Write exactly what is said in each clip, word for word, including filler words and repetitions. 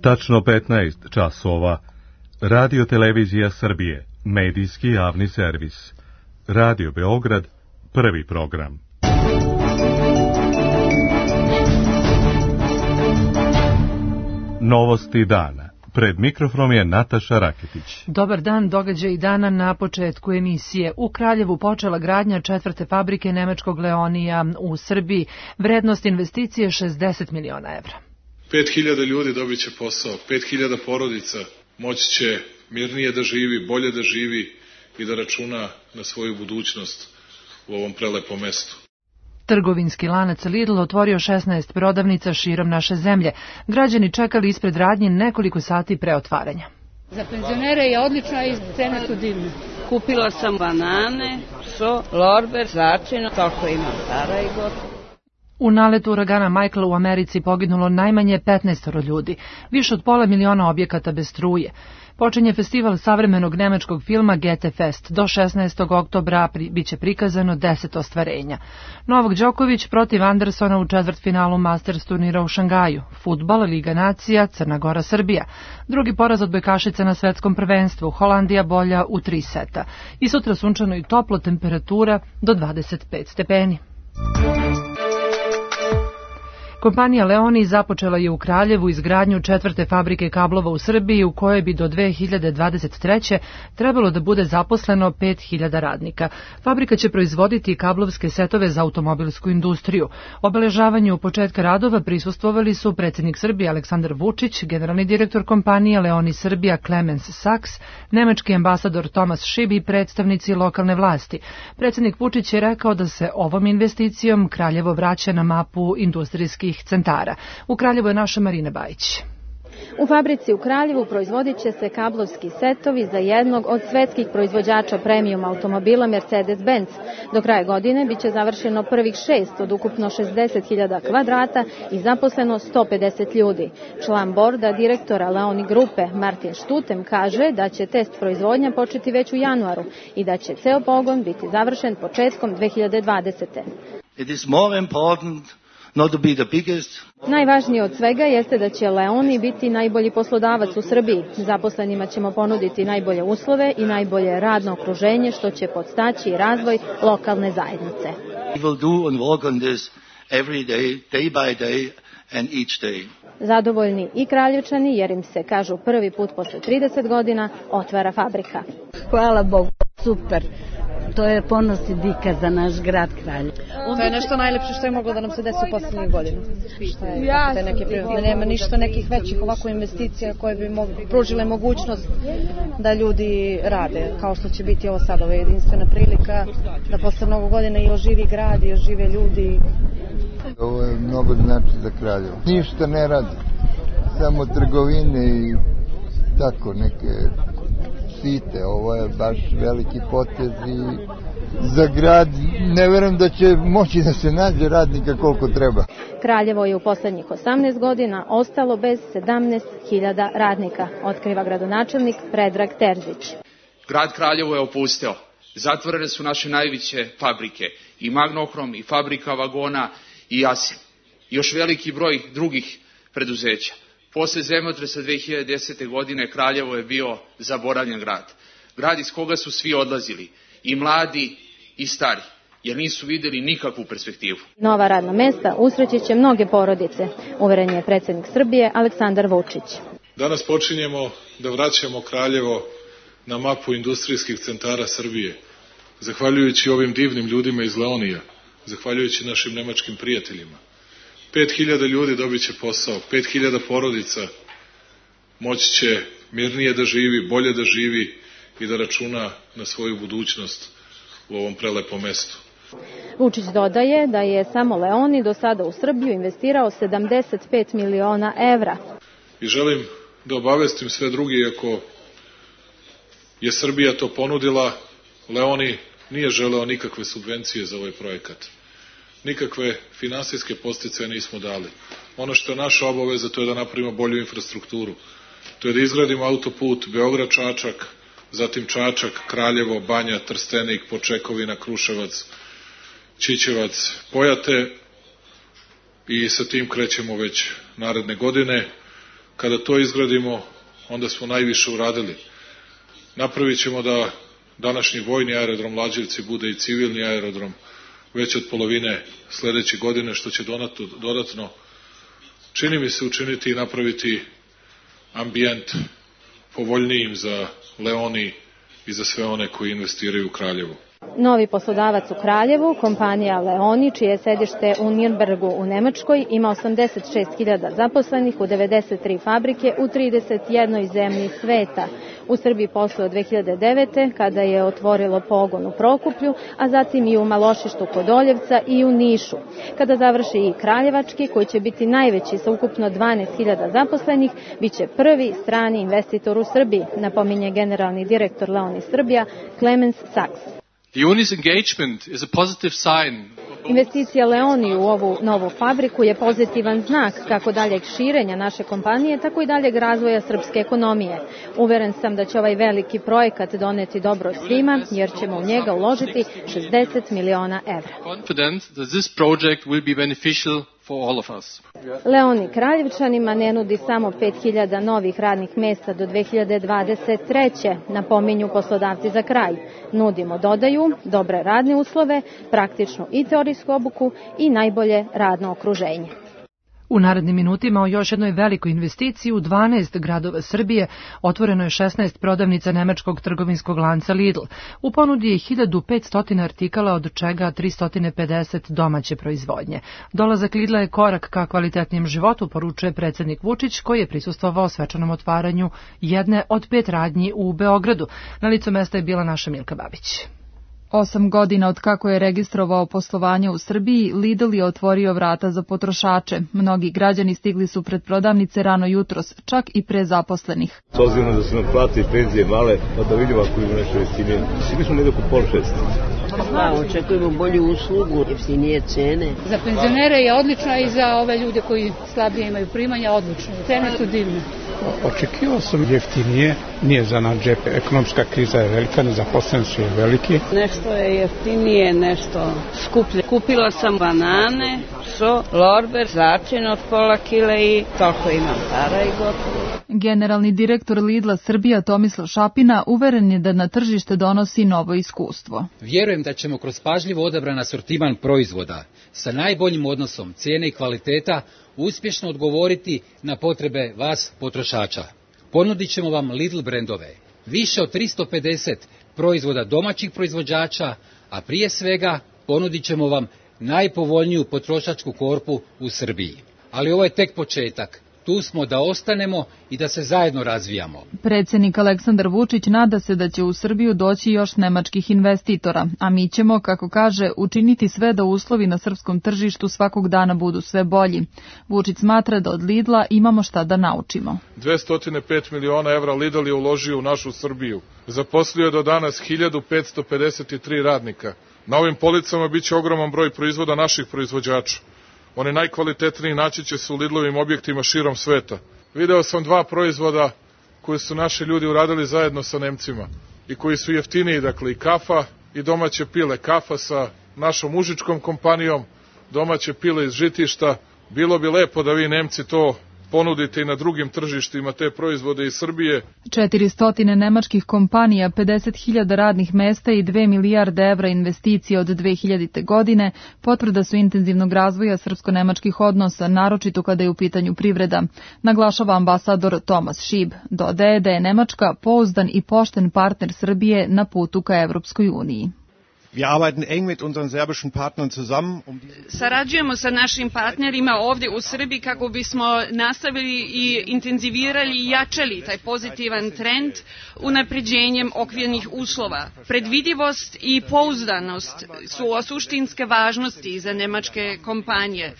Tačno petnaest časova. Radio Televizija Srbije, medijski javni servis. Radio Beograd, prvi program. Novosti dana. Pred mikrofonom je Nataša Raketić. Dobar dan, događaj dana na početku emisije. U Kraljevu počela gradnja četvrte fabrike nemačkog Leonija u Srbiji. Vrednost investicije šezdeset miliona evra. pet hiljada ljudi dobit će posao, pet hiljada porodica moći će mirnije da živi, bolje da živi i da računa na svoju budućnost u ovom prelepom mestu. Trgovinski lanac Lidl otvorio šesnaest prodavnica širom naše zemlje. Građani čekali ispred radnje nekoliko sati pre otvaranja. Za penzionere je odlično i cene su divne. Kupila sam banane, so, lorber, začinu, toliko imam para i gotovo. U naletu uragana Michael u Americi poginulo najmanje petnaest ljudi, više od pola miliona objekata bez struje. Počinje festival savremenog nemačkog filma Goethe Fest. Do šesnaestog oktobra biće prikazano deset ostvarenja. Novak Đoković protiv Andersona u četvrtfinalu Masters turnira u Šangaju. Fudbal, Liga nacija, Crna Gora, Srbija. Drugi poraz odbojkašica na svetskom prvenstvu. Holandija bolja u tri seta. I sutra sunčano i toplo, temperatura do dvadeset pet stepeni. Kompanija Leoni započela je u Kraljevu izgradnju četvrte fabrike kablova u Srbiji u kojoj bi do dve hiljade dvadeset treće trebalo da bude zaposleno pet hiljada radnika. Fabrika će proizvoditi kablovske setove za automobilsku industriju. Obeležavanju početka radova prisustvovali su predsjednik Srbije Aleksandar Vučić, generalni direktor kompanije Leoni Srbija Clemens Saks, nemački ambasador Tomas Šib i predstavnici lokalne vlasti. Predsjednik Vučić je rekao da se ovom investicijom Kraljevo vraća na mapu industrijskih centara. U Kraljevu je naša Marina Bajić. U fabrici u Kraljevu proizvodit će se kablovski setovi za jednog od svetskih proizvođača premium automobila Mercedes-Benz. Do kraja godine biće završeno prvih šest od ukupno šezdeset hiljada kvadrata i zaposleno sto pedeset ljudi. Član borda direktora Leoni grupe Martin Štutem kaže da će test proizvodnja početi već u januaru i da će ceo pogon biti završen početkom dve hiljade dvadesete. It is more important not to be the biggest. Najvažnije od svega jeste da će Leoni biti najbolji poslodavac u Srbiji. Zaposlenima ćemo ponuditi najbolje uslove i najbolje radno okruženje, što će podstaći razvoj lokalne zajednice. We will do and work on this every day, day by day and each day. Zadovoljni i Kraljevčani jer im se, kažu, prvi put posle trideset godina otvara fabrika. Hvala Bogu, super. To je ponos i dika za naš grad Kraljevo. To je nešto najlepše što je moglo da nam se desi u posljednjih godina. Ja, neke, nema ništa nekih većih ovako investicija koje bi mogli, pružile mogućnost da ljudi rade, kao što će biti ovo sad, ova jedinstvena prilika, da posle mnogo godina i oživi grad i ožive ljudi. Ovo je mnogo znači za Kraljevo. Ništa ne radi, samo trgovine i tako neke site. Ovo je baš veliki potez i za grad ne verujem da će moći da se nađe radnika koliko treba. Kraljevo je u poslednjih osamnaest godina ostalo bez sedamnaest hiljada radnika, otkriva gradonačelnik Predrag Terzić. Grad Kraljevo je opusteo. Zatvorene su naše najveće fabrike, i Magnohrom, i fabrika vagona, i Jasin. Još veliki broj drugih preduzeća. Posle zemljotresa dve hiljade desete. godine Kraljevo je bio zaboravljen grad. Grad iz koga su svi odlazili, i mladi i stari, jer nisu videli nikakvu perspektivu. Nova radna mesta usreći će mnoge porodice, uveren je predsjednik Srbije Aleksandar Vučić. Danas počinjemo da vraćamo Kraljevo na mapu industrijskih centara Srbije, zahvaljujući ovim divnim ljudima iz Leonija, zahvaljujući našim nemačkim prijateljima. Pet hiljada ljudi dobit će posao, pet hiljada porodica moći će mirnije da živi, bolje da živi i da računa na svoju budućnost u ovom prelepom mestu. Vučić dodaje da je samo Leoni do sada u Srbiju investirao sedamdeset pet miliona evra. I želim da obavestim sve drugi, ako je Srbija to ponudila, Leoni nije želeo nikakve subvencije za ovaj projekat. Nikakve finansijske podsticaje nismo dali. Ono što je naša obaveza, to je da napravimo bolju infrastrukturu. To je da izgradimo autoput Beograd-Čačak, zatim Čačak, Kraljevo, Banja, Trstenik, Počekovina, Kruševac, Ćićevac, Pojate i sa tim krećemo već naredne godine. Kada to izgradimo, onda smo najviše uradili. Napravit ćemo da današnji vojni aerodrom Lađevci bude i civilni aerodrom već od polovine sledeće godine, što će dodatno, čini mi se, učiniti i napraviti ambijent povoljnijim za Leoni i za sve one koji investiraju u Kraljevu. Novi poslodavac u Kraljevu, kompanija Leoni, čije je sedište u Nürnbergu u Nemačkoj, ima osamdeset šest hiljada zaposlenih u devedeset tri fabrike u trideset jednoj zemlji sveta. U Srbiji posluje od dve hiljade devete. kada je otvorilo pogon u Prokuplju, a zatim i u Malošištu kod Oljevca i u Nišu. Kada završi i Kraljevački, koji će biti najveći sa ukupno dvanaest hiljada zaposlenih, biće prvi strani investitor u Srbiji, napominje generalni direktor Leoni Srbija Clemens Sachs. Leoni's engagement is a positive sign. Investicija Leoni u ovu novu fabriku je pozitivan znak kako daljeg širenja naše kompanije, tako i daljeg razvoja srpske ekonomije. Uveren sam da će ovaj veliki projekat doneti dobro svima, jer ćemo u njega uložiti šezdeset miliona evra. Confident that this project will be beneficial for all of us. Leoni Kraljevčanima ne nudi samo pet hiljada novih radnih mesta do dve hiljade dvadeset treće. Napominju poslodavci za kraj. Nudimo, dodaju, dobre radne uslove, praktičnu i teorijsku obuku i najbolje radno okruženje. U narednim minutima o još jednoj velikoj investiciji u dvanaest gradova Srbije otvoreno je šesnaest prodavnica nemačkog trgovinskog lanca Lidl. U ponudi je hiljadu petsto artikala, od čega tristo pedeset domaće proizvodnje. Dolazak Lidla je korak ka kvalitetnijem životu, poručuje predsjednik Vučić, koji je prisustvovao svečanom otvaranju jedne od pet radnji u Beogradu. Na licu mesta je bila naša Milka Babić. Osam godina od kako je registrovao poslovanje u Srbiji, Lidl je otvorio vrata za potrošače. Mnogi građani stigli su pred prodavnice rano jutros, čak i pre zaposlenih. S obzirom da su nam plate i penzije male, pa da vidimo ako imamo nešto jeftinije. Svi smo negdje oko pol šest. Pa, očekujemo bolju uslugu, jeftinije cene. Za penzionere je odlično i za ove ljude koji slabije imaju primanja odlično. Cene su divne. Očekivao sam jeftinije, nije za naš džep. Ekonomska kriza je velika, nezaposlenost je veliki. Nešto je jeftinije, nešto skuplje. Kupila sam banane, so, lorber, začin od pola kile i toliko imam para i gotovo. Generalni direktor Lidla Srbija Tomislav Šapina uveren je da na tržište donosi novo iskustvo. Vjerujem da ćemo kroz pažljivo odabran asortiman proizvoda sa najboljim odnosom cijene i kvaliteta uspješno odgovoriti na potrebe vas potrošača. Ponudit ćemo vam Lidl brendove, više od tristo pedeset proizvoda domaćih proizvođača, a prije svega ponudit ćemo vam najpovoljniju potrošačku korpu u Srbiji. Ali ovo je tek početak. Tu smo da ostanemo i da se zajedno razvijamo. Predsjednik Aleksandar Vučić nada se da će u Srbiju doći još nemačkih investitora, a mi ćemo, kako kaže, učiniti sve da uslovi na srpskom tržištu svakog dana budu sve bolji. Vučić smatra da od Lidla imamo šta da naučimo. dvesta pet miliona evra Lidl je uložio u našu Srbiju. Zaposlio je do danas hiljadu petsto pedeset tri radnika. Na ovim policama biće ogroman broj proizvoda naših proizvođača. Oni najkvalitetniji naći će se u Lidlovim objektima širom sveta. Video sam dva proizvoda koje su naši ljudi uradili zajedno sa Nemcima i koji su jeftiniji, dakle i kafa i domaće pile. Kafa sa našom užičkom kompanijom, domaće pile iz žitišta. Bilo bi lepo da vi Nemci to ponudite i na drugim tržištima, te proizvode iz Srbije. četiristo nemačkih kompanija, pedeset hiljada radnih mesta i dve milijarde evra investicije od dve hiljadite. godine potvrda su intenzivnog razvoja srpsko-nemačkih odnosa, naročito kada je u pitanju privreda, naglašava ambasador Tomas Šib. Dodaje da je Nemačka pouzdan i pošten partner Srbije na putu ka Evropskoj uniji. Wir arbeiten eng mit unseren serbischen Partnern zusammen. Um Sarađujemo sa našim partnerima ovdje u Srbiji kako bismo nastavili i intenzivirali i jačali taj pozitivan trend unapređenjem okvirnih uslova. Predvidivost i pouzdanost su od suštinske važnosti za nemačke kompanije.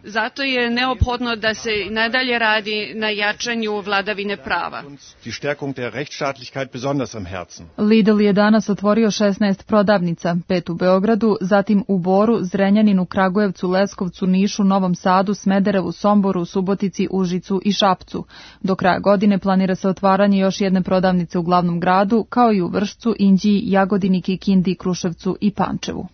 Zato je neophodno da se nadalje radi na jačanju vladavine prava. Die Stärkung der Rechtsstaatlichkeit besonders am Herzen. Lidl je danas otvorio šesnaest prodavnica, pet u Beogradu, zatim u Boru, Zrenjaninu, Kragujevcu, Leskovcu, Nišu, Novom Sadu, Smederevu, Somboru, Subotici, Užicu i Šapcu. Do kraja godine planira se otvaranje još jedne prodavnice u glavnom gradu, kao i u Vršcu, Inđiji, Jagodini, Kikindi, Kruševcu i Pančevu.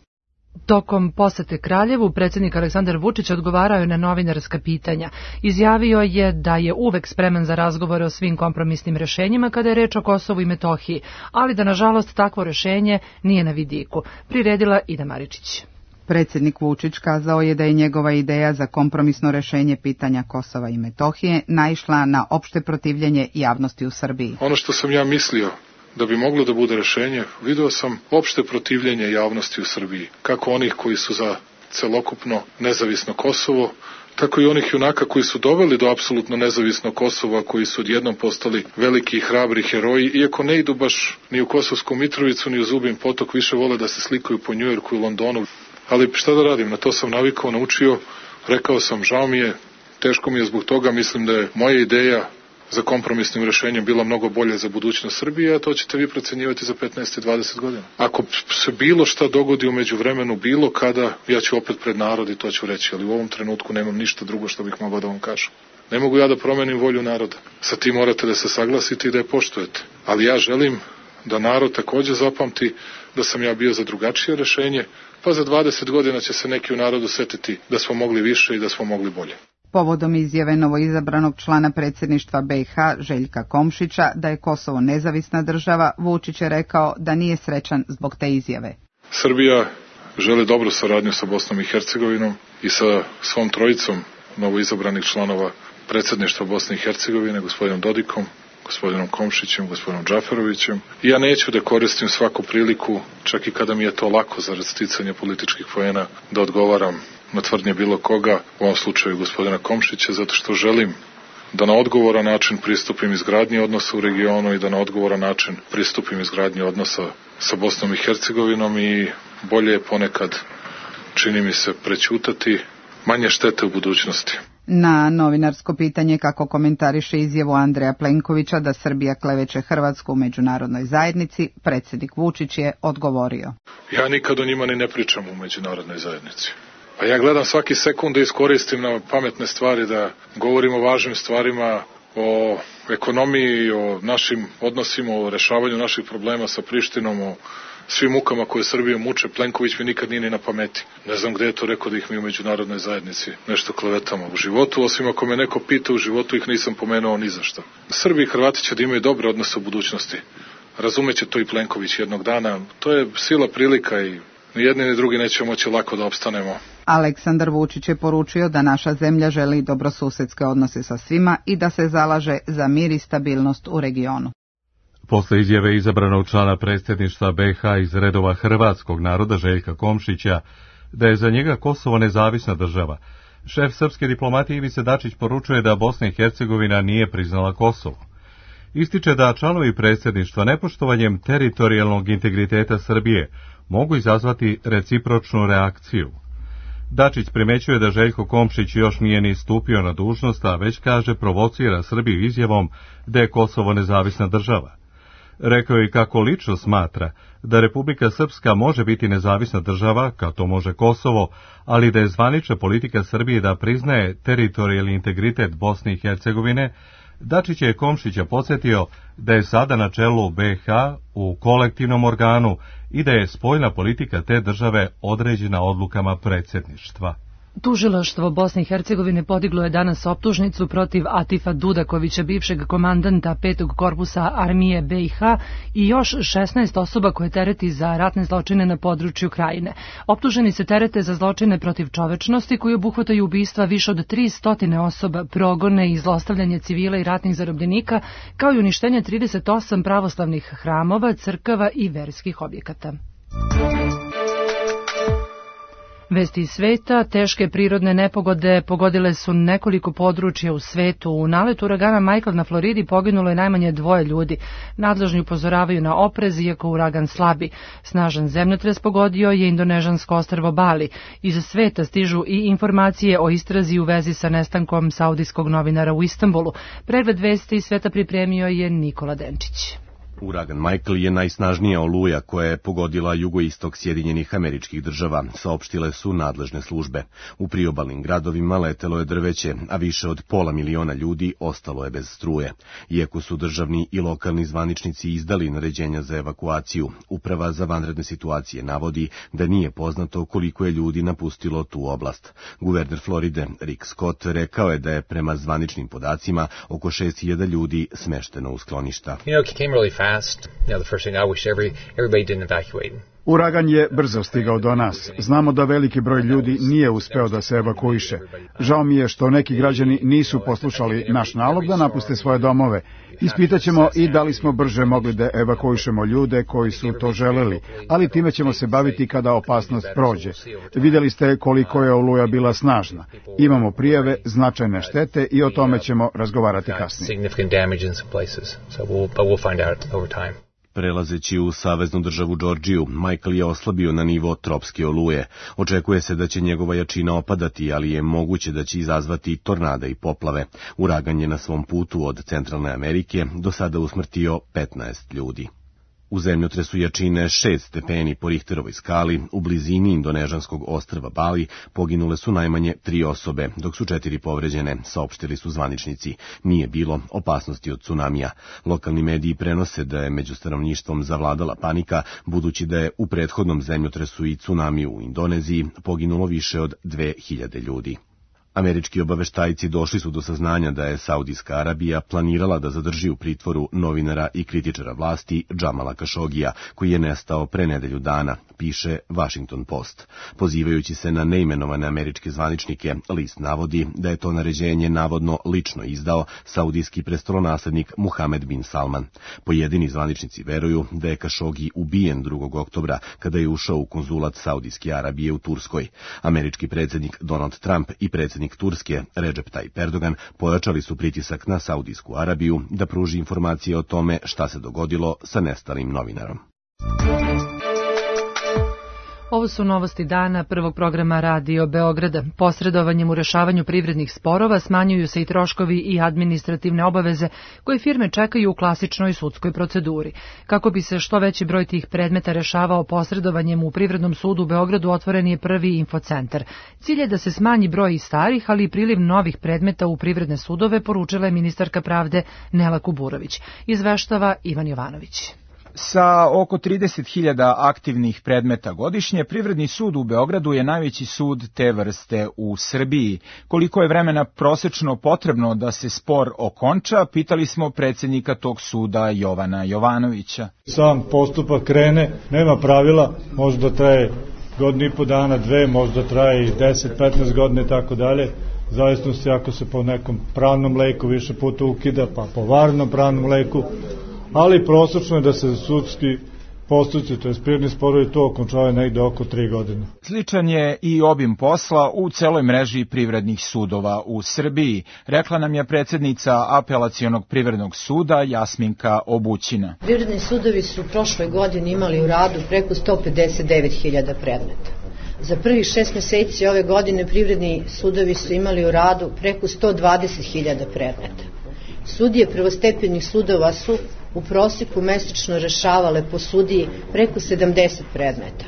Tokom posete Kraljevu, predsjednik Aleksandar Vučić odgovarao je na novinarska pitanja. Izjavio je da je uvek spreman za razgovore o svim kompromisnim rešenjima kada je reč o Kosovu i Metohiji, ali da nažalost takvo rešenje nije na vidiku. Priredila Ida Maričić. Predsjednik Vučić kazao je da je njegova ideja za kompromisno rešenje pitanja Kosova i Metohije naišla na opšte protivljenje javnosti u Srbiji. Ono što sam ja mislio da bi moglo da bude rešenje, video sam opšte protivljenje javnosti u Srbiji, kako onih koji su za celokupno nezavisno Kosovo, tako i onih junaka koji su doveli do apsolutno nezavisnog Kosova, koji su odjednom postali veliki i hrabri heroji, iako ne idu baš ni u Kosovsku Mitrovicu, ni u Zubin Potok, više vole da se slikaju po Njujorku i Londonu. Ali šta da radim, na to sam navikao, naučio, rekao sam, žao mi je, teško mi je zbog toga, mislim da je moja ideja za kompromisnim rešenjem bila mnogo bolje za budućnost Srbije, a to ćete vi procenjivati za petnaest i dvadeset godina. Ako se bilo šta dogodi u međuvremenu, bilo kada, ja ću opet pred narod i to ću reći, ali u ovom trenutku nemam ništa drugo što bih mogao da vam kažem. Ne mogu ja da promenim volju naroda. Sa tim morate da se saglasite i da je poštujete. Ali ja želim da narod takođe zapamti da sam ja bio za drugačije rešenje, pa za dvadeset godina će se neki u narodu setiti da smo mogli više i da smo mogli bolje. Povodom izjave novoizabranog člana predsjedništva B i H Željka Komšića da je Kosovo nezavisna država, Vučić je rekao da nije srećan zbog te izjave. Srbija želi dobru saradnju sa Bosnom i Hercegovinom i sa svom trojicom novoizabranih članova predsjedništva Bosne i Hercegovine, gospodinom Dodikom, gospodinom Komšićem, gospodinom Džaferovićem. I ja neću da koristim svaku priliku, čak i kada mi je to lako zarad sticanja političkih poena, da odgovaram na tvrdnje bilo koga, u ovom slučaju gospodina Komšića, zato što želim da na odgovoran način pristupim izgradnji odnosa u regionu i da na odgovoran način pristupim izgradnji odnosa sa Bosnom i Hercegovinom i bolje je ponekad, čini mi se, prećutati, manje štete u budućnosti. Na novinarsko pitanje kako komentariše izjavu Andreja Plenkovića da Srbija kleveće Hrvatsku u međunarodnoj zajednici, predsjednik Vučić je odgovorio. Ja nikad o njima ni ne pričam u međunarodnoj zajednici. A ja gledam svaki sekund da iskoristim na pametne stvari, da govorim o važnim stvarima, o ekonomiji, o našim odnosima, o rešavanju naših problema sa Prištinom, o svim mukama koje Srbiju muče. Plenković mi nikad nije ni na pameti. Ne znam gde je to rekao da ih mi u međunarodnoj zajednici nešto klevetamo u životu, osim ako me neko pita u životu ih nisam pomenuo ni za šta. Srbi i Hrvati će da imaju dobre odnose u budućnosti. Razumeće to i Plenković jednog dana. To je sila prilika i ni jedni ni drugi neće moći lako da opstanemo. Aleksandar Vučić je poručio da naša zemlja želi dobrosusedske odnose sa svima i da se zalaže za mir i stabilnost u regionu. Posle izjave izabranog člana predsjedništva B i H iz redova hrvatskog naroda Željka Komšića da je za njega Kosovo nezavisna država, šef srpske diplomatije Ivica Dačić poručuje da Bosna i Hercegovina nije priznala Kosovo. Ističe da članovi predsjedništva nepoštovanjem teritorijalnog integriteta Srbije mogu izazvati recipročnu reakciju. Dačić primećuje da Željko Komšić još nije ni stupio na dužnost, a već kaže provocira Srbiju izjavom da je Kosovo nezavisna država. Rekao je kako lično smatra da Republika Srpska može biti nezavisna država, kao to može Kosovo, ali da je zvanična politika Srbije da priznaje teritorijalni integritet Bosne i Hercegovine. Dačić je Komšića podsjetio da je sada na čelu B i H u kolektivnom organu i da je spoljna politika te države određena odlukama predsjedništva. Tužilaštvo Bosne i Hercegovine podiglo je danas optužnicu protiv Atifa Dudakovića, bivšeg komandanta petog korpusa armije B i H i još šesnaest osoba koje tereti za ratne zločine na području Krajine. Optuženi se terete za zločine protiv čovečnosti koji obuhvataju ubistva više od tristo osoba, progone i zlostavljanje civila i ratnih zarobljenika, kao i uništenje trideset osam pravoslavnih hramova, crkava i verskih objekata. Vesti iz sveta, teške prirodne nepogode pogodile su nekoliko područja u svetu. U naletu uragana Michael na Floridi poginulo je najmanje dvoje ljudi. Nadležni upozoravaju na oprez, iako uragan slabi. Snažan zemljotres pogodio je indonežansko ostrvo Bali. Iz sveta stižu i informacije o istrazi u vezi sa nestankom saudijskog novinara u Istanbulu. Pregled vesti iz sveta pripremio je Nikola Denčić. Uragan Michael je najsnažnija oluja koja je pogodila jugoistok Sjedinjenih Američkih Država, saopštile su nadležne službe. U priobalnim gradovima letelo je drveće, a više od pola miliona ljudi ostalo je bez struje. Iako su državni i lokalni zvaničnici izdali naređenja za evakuaciju, Uprava za vanredne situacije navodi da nije poznato koliko je ljudi napustilo tu oblast. Guverner Floride Rick Scott rekao je da je prema zvaničnim podacima oko šest hiljada ljudi smešteno u skloništa. Uragan je brzo stigao do nas. Znamo da veliki broj ljudi nije uspeo da se evakuiše. Žao mi je što neki građani nisu poslušali naš nalog da napuste svoje domove. Ispitaćemo i da li smo brže mogli da evakuišemo ljude koji su to želeli, ali time ćemo se baviti kada opasnost prođe. Vidjeli ste koliko je oluja bila snažna. Imamo prijave, značajne štete i o tome ćemo razgovarati kasnije. Prelazeći u saveznu državu Džordžiju, Michael je oslabio na nivo tropske oluje. Očekuje se da će njegova jačina opadati, ali je moguće da će izazvati tornada i poplave. Uragan je na svom putu od Centralne Amerike do sada usmrtio petnaest ljudi. U zemljotresu jačine šest stepeni po Richterovoj skali u blizini indonežanskog ostrva Bali poginule su najmanje tri osobe, dok su četiri povređene, saopštili su zvaničnici. Nije bilo opasnosti od tsunamija. Lokalni mediji prenose da je među stanovništvom zavladala panika, budući da je u prethodnom zemljotresu i tsunamiju u Indoneziji poginulo više od dve hiljade ljudi. Američki obaveštajci došli su do saznanja da je Saudijska Arabija planirala da zadrži u pritvoru novinara i kritičara vlasti Džamala Kašogija, koji je nestao pre nedelju dana, piše Washington Post. Pozivajući se na neimenovane američke zvaničnike, list navodi da je to naređenje navodno lično izdao saudijski prestolonaslednik Muhamed bin Salman. Pojedini zvaničnici veruju da je Kašogi ubijen drugog oktobra kada je ušao u konzulat Saudijske Arabije u Turskoj. Američki predsjednik Donald Trump i predsjednik Turske Recep Tayyip Erdogan pojačali su pritisak na Saudijsku Arabiju da pruži informacije o tome šta se dogodilo sa nestalim novinarom. Ovo su novosti dana prvog programa Radio Beograda. Posredovanjem u rešavanju privrednih sporova smanjuju se i troškovi i administrativne obaveze koje firme čekaju u klasičnoj sudskoj proceduri. Kako bi se što veći broj tih predmeta rešavao posredovanjem u Privrednom sudu u Beogradu, otvoren je prvi infocentar. Cilj je da se smanji broj i starih, ali i priliv novih predmeta u privredne sudove, poručila je ministarka pravde Nela Kuburović. Izveštava Ivan Jovanović. Sa oko trideset hiljada aktivnih predmeta godišnje, Privredni sud u Beogradu je najveći sud te vrste u Srbiji. Koliko je vremena prosečno potrebno da se spor okonča, pitali smo predsjednika tog suda Jovana Jovanovića. Sam postupak krene, nema pravila, možda traje godinu i po dana, dve, možda traje i deset, petnaest godina i tako dalje. Zavisno se ako se po nekom pravnom leku više puta ukida, pa po varnom pravnom leku, ali prosečno je da se sudski postupci, to je privredni sporovi, to okončavaju negde oko tri godine. Sličan je i obim posla u celoj mreži privrednih sudova u Srbiji, rekla nam je predsjednica Apelacionog privrednog suda Jasminka Obućina. Privredni sudovi su prošle godine imali u radu preko sto pedeset devet hiljada predmeta. Za prvih šest meseci ove godine privredni sudovi su imali u radu preko sto dvadeset hiljada predmeta. Sudije prvostepenih sudova su u prosjeku mesečno rešavale po sudiji preko sedamdeset predmeta.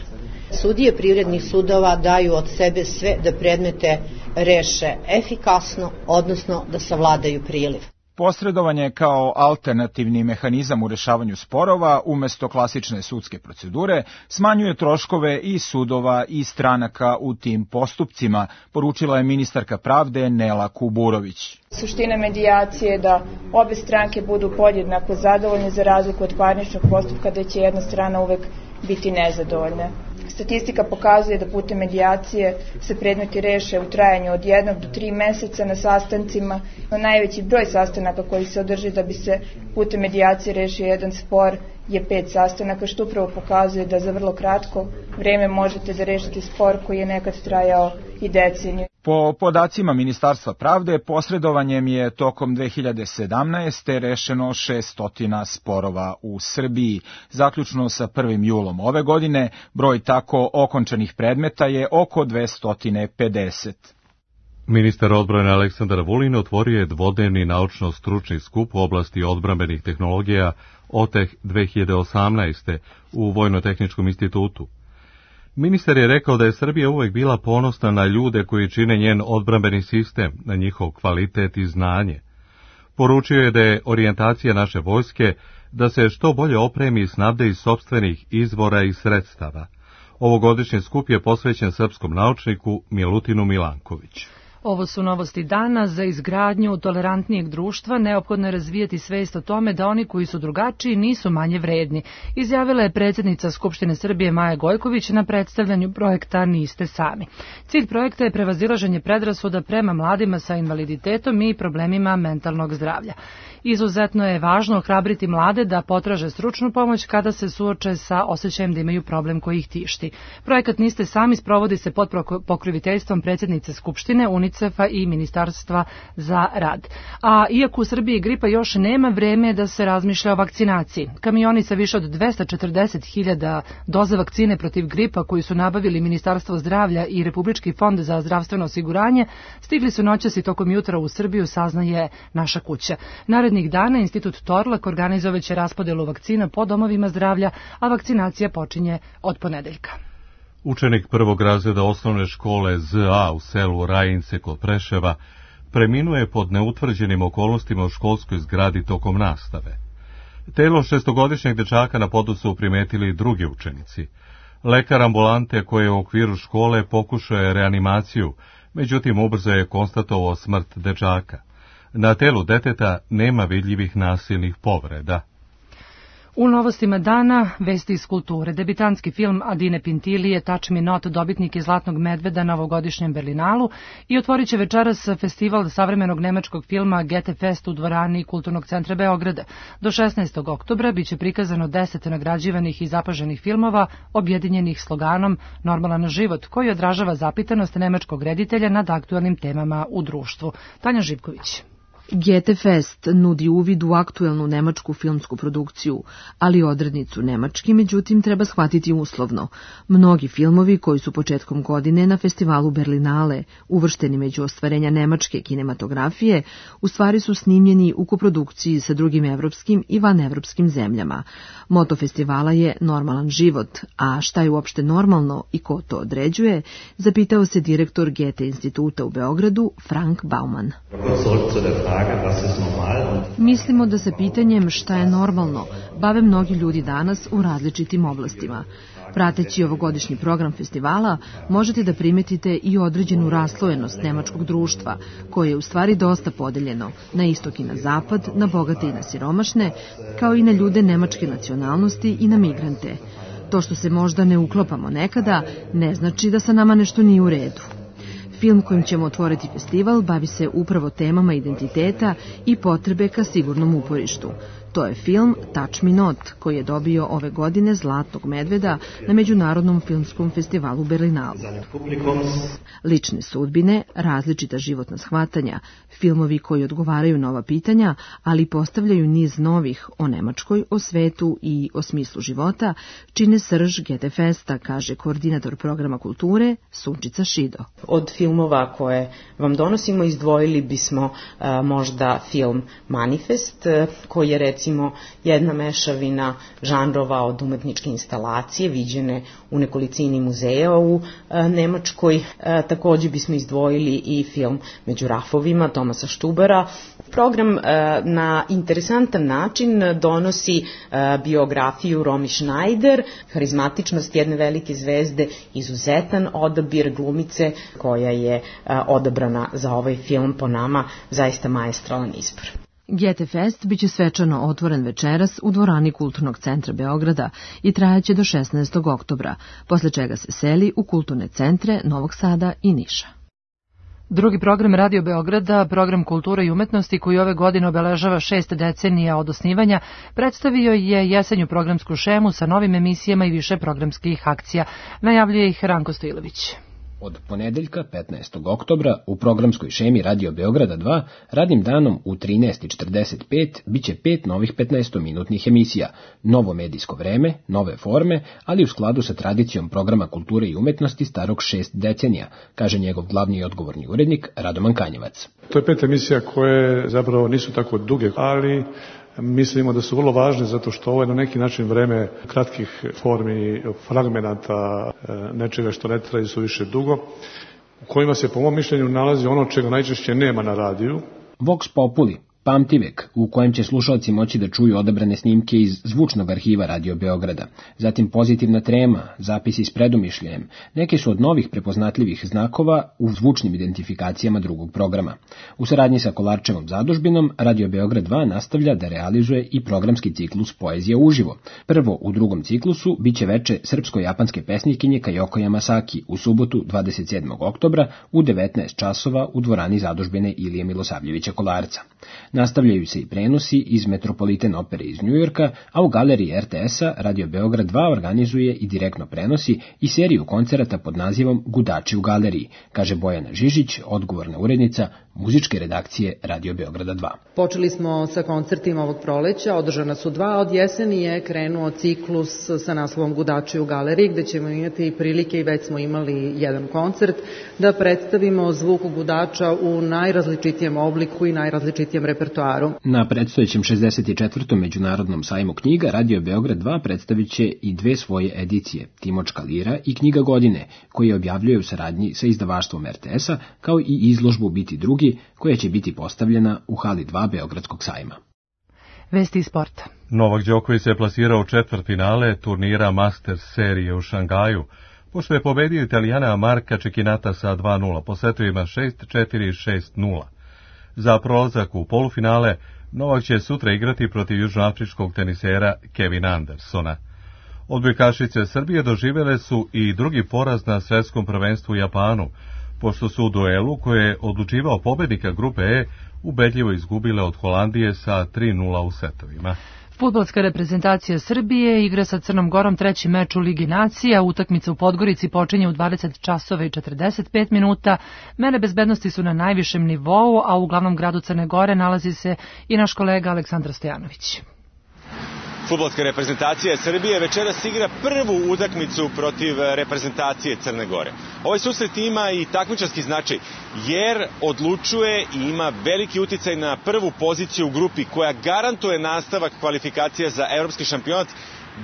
Sudije privrednih sudova daju od sebe sve da predmete reše efikasno, odnosno da savladaju priliv. Posredovanje kao alternativni mehanizam u rešavanju sporova umesto klasične sudske procedure smanjuje troškove i sudova i stranaka u tim postupcima, poručila je ministarka pravde Nela Kuburović. Suština medijacije je da obe stranke budu podjednako zadovoljne, za razliku od parničnog postupka da će jedna strana uvek biti nezadovoljna. Statistika pokazuje da putem medijacije se predmeti reše u trajanju od jednog do tri meseca na sastancima. Najveći broj sastanaka koji se održi da bi se putem medijacije rešio jedan spor je pet sastanaka, što upravo pokazuje da za vrlo kratko vreme možete da rešite spor koji je nekad trajao i deceniju. Po podacima Ministarstva pravde, posredovanjem je tokom dve hiljade sedamnaeste. rešeno šesto sporova u Srbiji. Zaključno sa prvim julom ove godine, broj tako okončanih predmeta je oko dvesta pedeset. Ministar odbrane Aleksandar Vulin otvorio je dvodnevni naučno-stručni skup u oblasti odbrambenih tehnologija O T E H dve hiljade osamnaeste u Vojno-tehničkom institutu. Ministar je rekao da je Srbija uvek bila ponosna na ljude koji čine njen odbrambeni sistem, na njihov kvalitet i znanje. Poručio je da je orijentacija naše vojske da se što bolje opremi i snabde iz sopstvenih izvora i sredstava. Ovogodišnji skup je posvećen srpskom naučniku Milutinu Milankoviću. Ovo su novosti dana. Za izgradnju tolerantnijeg društva neophodno je razvijati svest o tome da oni koji su drugačiji nisu manje vredni, izjavila je predsjednica Skupštine Srbije Maja Gojković na predstavljanju projekta Niste sami. Cilj projekta je prevazilaženje predrasuda prema mladima sa invaliditetom i problemima mentalnog zdravlja. Izuzetno je važno ohrabriti mlade da potraže stručnu pomoć kada se suoče sa osjećajem da imaju problem koji ih tišti. Projekat Niste sami sprovodi se pod pokroviteljstvom predsjednice Skupštine, UNICEF-a i Ministarstva za rad. A iako u Srbiji gripa još nema, vreme da se razmišlja o vakcinaciji. Kamioni sa više od dvesta četrdeset hiljada doza vakcine protiv gripa koji su nabavili Ministarstvo zdravlja i Republički fond za zdravstveno osiguranje stigli su noćas i tokom jutra u Srbiju, saznaje Naša kuća. Narednih dana Institut Torlak organizovaće raspodelu vakcina po domovima zdravlja, a vakcinacija počinje od ponedeljka. Učenik prvog razreda osnovne škole Z A u selu Rajince kod Preševa preminuje pod neutvrđenim okolnostima u školskoj zgradi tokom nastave. Telo šestogodišnjeg dečaka na podu su primetili drugi učenici. Lekar ambulante koji je u okviru škole pokušao je reanimaciju, međutim ubrzo je konstatovao smrt dečaka. Na telu deteta nema vidljivih nasilnih povreda. U novostima dana, vesti iz kulture. Debitanski film Adine Pintilije, Touch Me Not, dobitnik je Zlatnog medveda na ovogodišnjem Berlinalu i otvorit će večeras festival savremenog nemačkog filma Goethe Fest u dvorani Kulturnog centra Beograda. Do šesnaestog oktobra biće prikazano deset nagrađivanih i zapaženih filmova objedinjenih sloganom Normalan život, koji odražava zapitanost nemačkog reditelja nad aktualnim temama u društvu. Tanja Živković. Goethe Fest nudi uvid u aktuelnu nemačku filmsku produkciju, ali odrednicu nemački, međutim, treba shvatiti uslovno. Mnogi filmovi koji su početkom godine na festivalu Berlinale uvršteni među ostvarenja nemačke kinematografije, u stvari su snimljeni u koprodukciji sa drugim evropskim i vanevropskim zemljama. Moto festivala je Normalan život, a šta je uopšte normalno i ko to određuje, zapitao se direktor Goethe instituta u Beogradu, Frank Baumann. Mislimo da se pitanjem šta je normalno bave mnogi ljudi danas u različitim oblastima. Prateći ovogodišnji program festivala, možete da primetite i određenu raslojenost nemačkog društva, koje je u stvari dosta podeljeno na istok i na zapad, na bogate i na siromašne, kao i na ljude nemačke nacionalnosti i na migrante. To što se možda ne uklopamo nekada, ne znači da sa nama nešto nije u redu. Film kojim ćemo otvoriti festival bavi se upravo temama identiteta i potrebe ka sigurnom uporištu. To je film Touch Me Not, koji je dobio ove godine Zlatnog medveda na Međunarodnom filmskom festivalu Berlinalu. Lične sudbine, različita životna shvatanja, filmovi koji odgovaraju na ova pitanja, ali postavljaju niz novih o Nemačkoj, o svetu i o smislu života, čine srž Goethe Festa, kaže koordinator programa kulture Sunčica Šido. Od filmova koje vam donosimo izdvojili bismo a, možda film Manifest, koji je recimo jedna mešavina žanrova od umetničke instalacije viđene u nekolicini muzeja u a, Nemačkoj. A, također bismo izdvojili i film Među rafovima Tomasa Štubara. Program a, na interesantan način donosi a, biografiju Romy Schneider, harizmatičnost jedne velike zvezde, izuzetan odabir glumice koja je a, odabrana za ovaj film, po nama zaista maestralan izbor. Goethe Fest biće svečano otvoren večeras u dvorani Kulturnog centra Beograda i trajaće do šesnaestog oktobra, posle čega se seli u kulturne centre Novog Sada i Niša. Drugi program Radio Beograda, program kulture i umetnosti koji ove godine obeležava šest decenija od osnivanja, predstavio je jesenju programsku šemu sa novim emisijama i više programskih akcija. Najavljuje ih Ranko Stojilović. Od ponedeljka petnaestog oktobra u programskoj šemi Radio Beograda dva radnim danom u trinaest i četrdeset pet biće pet novih petnaestominutnih emisija, novo medijsko vreme, nove forme, ali u skladu sa tradicijom programa kulture i umetnosti starog šest decenija, kaže njegov glavni i odgovorni urednik Radoman Kanjevac. To je pet emisija koje zapravo nisu tako duge, ali mislimo da su vrlo važne zato što ovo je na neki način vreme kratkih formi, fragmenata, nečega što ne traje su više dugo, u kojima se po mom mišljenju nalazi ono čega najčešće nema na radiju. Vox Populi, pamtivek, u kojem će slušalci moći da čuju odabrane snimke iz zvučnog arhiva Radio Beograda, zatim pozitivna trema, zapisi s predumišljajem, neke su od novih prepoznatljivih znakova u zvučnim identifikacijama drugog programa. U saradnji sa Kolarčevom zadužbinom, Radio Beograd dva nastavlja da realizuje i programski ciklus Poezija uživo. Prvo u drugom ciklusu biće veče srpsko-japanske pesnikinje Kajoko Yamasaki u subotu dvadeset sedmog oktobra u devetnaest časova u dvorani zadužbine Ilije Milosavljevića Kolarca. Nastavljaju se i prenosi iz Metropolitan opere iz Njujorka, a u galeriji er te es-a Radio Beograd dva organizuje i direktno prenosi i seriju koncerata pod nazivom Gudači u galeriji, kaže Bojana Žižić, odgovorna urednica muzičke redakcije Radio Beograda dva. Počeli smo sa koncertima ovog proleća, održana su dva, od jeseni je krenuo ciklus sa naslovom Gudači u galeriji, gde ćemo imati prilike, i već smo imali jedan koncert, da predstavimo zvuk gudača u najrazličitijem obliku i najrazličitijem repertoaru. Na predstojećem šezdeset četvrtom Međunarodnom sajmu knjiga Radio Beograd dva predstavit će i dve svoje edicije, Timočka lira i Knjiga godine, koje objavljuje u saradnji sa izdavaštvom er te es-a, kao i izložbu Biti drugi, koja će biti postavljena u hali dva Beogradskog sajma. Vesti iz sporta. Novak Đoković se plasirao u četvrtfinale turnira Masters serije u Šangaju, pošto je pobedio Italijana Marka Čekinata sa dva nula, po setovima šest četiri i šest nula. Za prolazak u polufinale, Novak će sutra igrati protiv južnoafričkog tenisera Kevina Andersona. Odbojkašice Srbije doživjele su i drugi poraz na svetskom prvenstvu u Japanu, pošto su u duelu koje je odlučivao pobednika grupe E ubedljivo izgubile od Holandije sa tri nula u setovima. Fudbalska reprezentacija Srbije igra sa Crnom Gorom treći meč u Ligi nacija. Utakmica u Podgorici počinje u dvadeset časova i četrdeset pet minuta. Mere bezbednosti su na najvišem nivou, a u glavnom gradu Crne Gore nalazi se i naš kolega Aleksandar Stojanović. Fudbalska reprezentacija Srbije večeras igra prvu utakmicu protiv reprezentacije Crne Gore. Ovaj susret ima i takmičarski značaj, jer odlučuje i ima veliki uticaj na prvu poziciju u grupi koja garantuje nastavak kvalifikacija za evropski šampionat,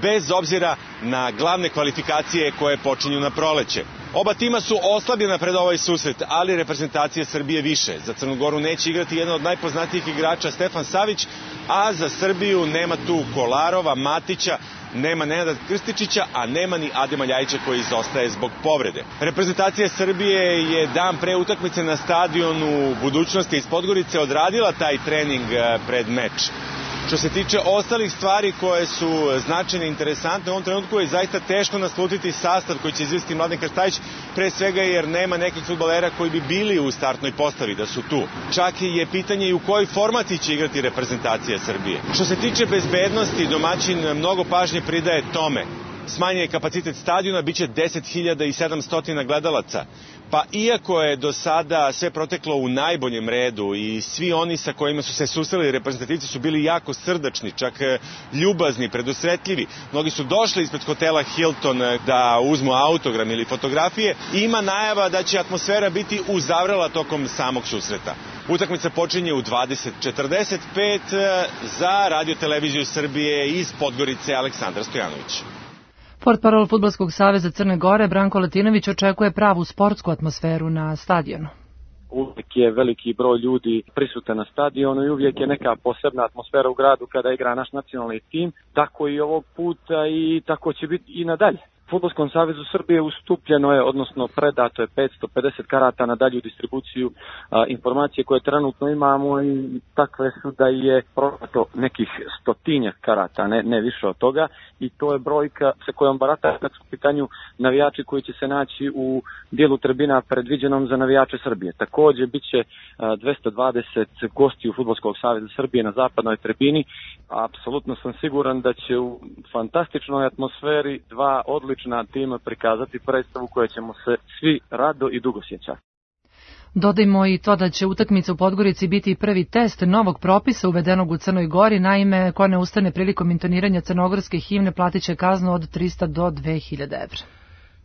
bez obzira na glavne kvalifikacije koje počinju na proleće. Oba tima su oslabljena pred ovaj susret, ali reprezentacija Srbije više. Za Crnu Goru neće igrati jedan od najpoznatijih igrača Stefan Savić, a za Srbiju nema tu Kolarova, Matića, nema Nenada Krstičića, a nema ni Adema Ljajića koji izostaje zbog povrede. Reprezentacija Srbije je dan pre utakmice na stadionu Budućnosti iz Podgorice odradila taj trening pred meč. Što se tiče ostalih stvari koje su značajne i interesantne, u ovom trenutku je zaista teško naslutiti sastav koji će izvesti Mladen Krstajić, pre svega jer nema nekih fudbalera koji bi bili u startnoj postavi da su tu. Čak je pitanje i u kojoj formaciji će igrati reprezentacija Srbije. Što se tiče bezbednosti, domaćin mnogo pažnje pridaje tome. Smanjen je kapacitet stadiona, bit će deset hiljada sedamsto gledalaca. Pa iako je do sada sve proteklo u najboljem redu i svi oni sa kojima su se susreli reprezentativci su bili jako srdačni, čak ljubazni, predusretljivi. Mnogi su došli ispred hotela Hilton da uzmu autogram ili fotografije. Ima najava da će atmosfera biti uzavrela tokom samog susreta. Utakmica počinje u dvadeset četrdeset pet za Radio televiziju Srbije iz Podgorice Aleksandar Stojanović. Portparol Fudbalskog saveza Crne Gore Branko Latinović očekuje pravu sportsku atmosferu na stadionu. Uvijek je veliki broj ljudi prisutan na stadionu i uvijek je neka posebna atmosfera u gradu kada igra naš nacionalni tim, tako i ovog puta i tako će biti i nadalje. Fudbalskom savezu Srbije ustupljeno je, odnosno predato je petsto pedeset karata na dalju distribuciju a, informacije koje trenutno imamo i takve su da je prodato nekih stotinjak karata, ne, ne više od toga, i to je brojka sa kojom barata kad su u pitanju navijači koji će se naći u dijelu tribina predviđenom za navijače Srbije. Također bit će a, dvesta dvadeset gostiju Fudbalskog saveza Srbije na zapadnoj tribini. Apsolutno sam siguran da će u fantastičnoj atmosferi dva odlična odlična tima prikazati predstavu koja ćemo se svi rado i dugo sjećati. Dodajmo i to da će utakmica u Podgorici biti prvi test novog propisa uvedenog u Crnoj Gori. Naime, ko ne ustane prilikom intoniranja crnogorske himne platit će kaznu od trista do dve hiljade evra.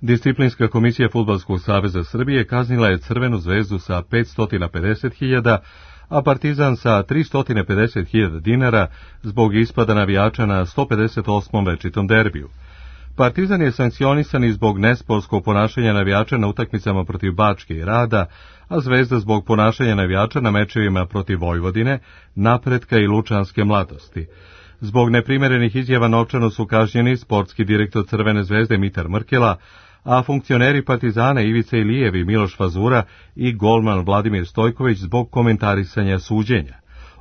Disciplinska komisija Fudbalskog saveza Srbije kaznila je Crvenu zvezdu sa petsto pedeset hiljada, a Partizan sa tristo pedeset hiljada dinara zbog ispada navijača na sto pedeset osmom večitom derbiju. Partizan je sankcionisan i zbog nesportskog ponašanja navijača na utakmicama protiv Bačke i Rada, a Zvezda zbog ponašanja navijača na mečevima protiv Vojvodine, Napretka i Lučanske mladosti. Zbog neprimerenih izjava novčano su kažnjeni sportski direktor Crvene zvezde Mitar Mrkela, a funkcioneri Partizana Ivica Ilijev i Miloš Fazura i golman Vladimir Stojković zbog komentarisanja suđenja.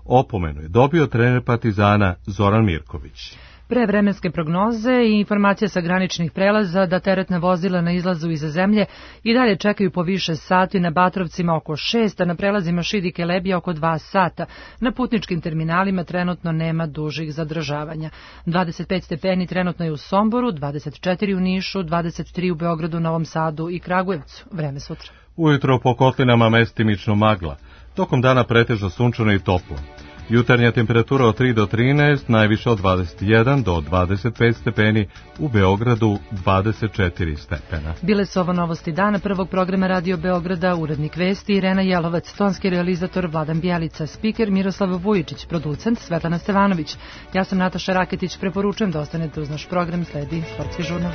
Opomenu je dobio trener Partizana Zoran Mirković. Pre vremenske prognoze i informacija sa graničnih prelaza da teretna vozila na izlazu iza zemlje i dalje čekaju po više sati, na Batrovcima oko šest, a na prelazima Šid i Kelebija oko dva sata. Na putničkim terminalima trenutno nema dužih zadržavanja. dvadeset pet stepeni trenutno je u Somboru, dvadeset četiri u Nišu, dvadeset tri u Beogradu, Novom Sadu i Kragujevcu. Vreme sutra. Ujutro po kotlinama mestimično magla, tokom dana pretežno sunčano i toplo. Jutarnja temperatura od tri do trinaest, najviše od dvadeset jedan do dvadeset pet stepeni, u Beogradu dvadeset četiri stepena. Bile su ovo novosti dana prvog programa Radio Beograda, urednik vesti Irena Jelovac, tonski realizator Vladan Bjelica, spiker Miroslav Vujičić, producent Svetlana Stevanović. Ja sam Nataša Raketić, preporučujem da ostanete uz naš program, sledi Sportski žurnal.